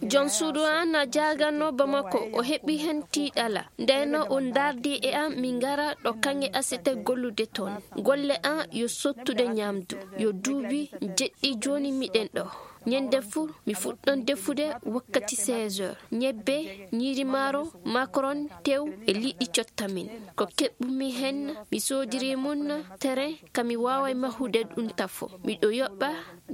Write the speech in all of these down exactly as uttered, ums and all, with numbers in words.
Jon suudu an na jaaganno Bamako, o heɓi hen tiiɗala. Ndeno o ndardi e an mi ngara ɗo kanŋe asete gollude ton. Golle an yo sottude ñamdu. Yo duubi jeɗɗi joni miɗen ɗo. Ñande fu mi fuɗɗon defude wakkati seize heures. Ñebbe, ñiiri maaro, makaron, tew e liɗɗi cotta min. Ko keɓɓumi hen mi soodiri mun tere ka mi waaway mahude ɗum tafo. Miɗo yoɓɓa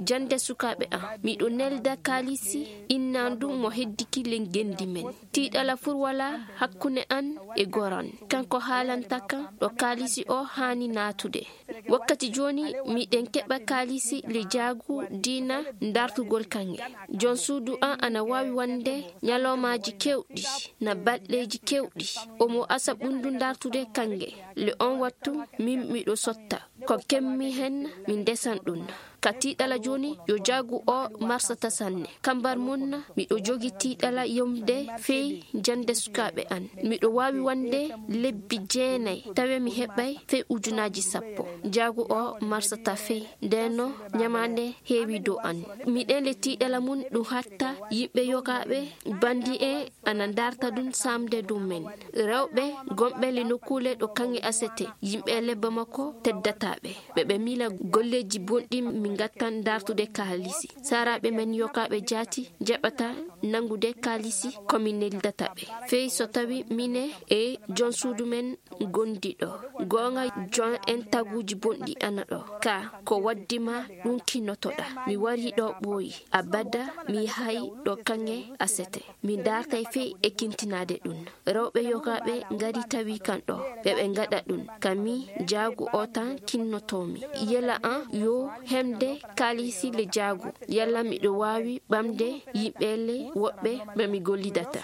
jande sukaaɓe an. Miɗo nelda kaalisi innandu mo heddiki len gendi men. Tiiɗala fur wala hakkunde an e goran. Kanko haalanta kan ɗo kaalisi o haani naatude. Wakkati joni miɗen keɓa kaalisi le jaagu diina ndartugol kanŋe. Jon suudu an ana waawi wonde ñalawmaaji kewɗi na balɗeeji kewɗi. Omo asa ɓundu ndartude kanŋe. Le on wattu min miɗo sotta. Ko kemmi hen mi ndesan ɗum. Ka tiiɗala joni yo jaagu o marsata sanne. Kambar mun miɗo jogi tiiɗala yomde fey jande sukaaɓe an. Miɗo waawi wonde lebbi jeenay tawe mi heɓay fey ujunaaji sappo. Jaagu o marsata fey ndeno ñamaande heewi dow an. Miɗen le tiiɗala mun ɗum hatta yimɓe yogaaɓe bandi e ana ndarta ɗum samde ɗum men. Rewɓe gonɓe le nokkuule ɗo kanŋe asete yimɓe le Bamako teddataaɓe. Ɓe ɓe miila golleeji bonɗi mi ngattan ndartude kaalisi. Saraaɓe men yogaaɓe jaati jaɓata nangude kaalisi ko mi neldata ɓe. Fey so tawi mine e jon suudu men gondi ɗo. Goonga jon en taguuji bonɗi ana ɗo. Ka ko waddi ma ɗum kinnotoɗa. Mi wari ɗo ɓooyi. Abada mi hay ɗo kanŋe asete. Mi dartay fey e kintinaade ɗum. Rewɓe yogaaɓe ngari tawi kan ɗo. Ɓe ɓe ngaɗa ɗum. Ka mi jaagu o tan kinnotoomi. Yela an yo hemde kaalisi le jaagu. Yalla miɗo waawi ɓamde yimɓe le woɓɓe ɓe mi gollidata.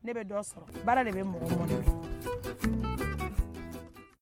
Ne bɛ dɔ sɔrɔ baara de bɛ mɔgɔ mɔni.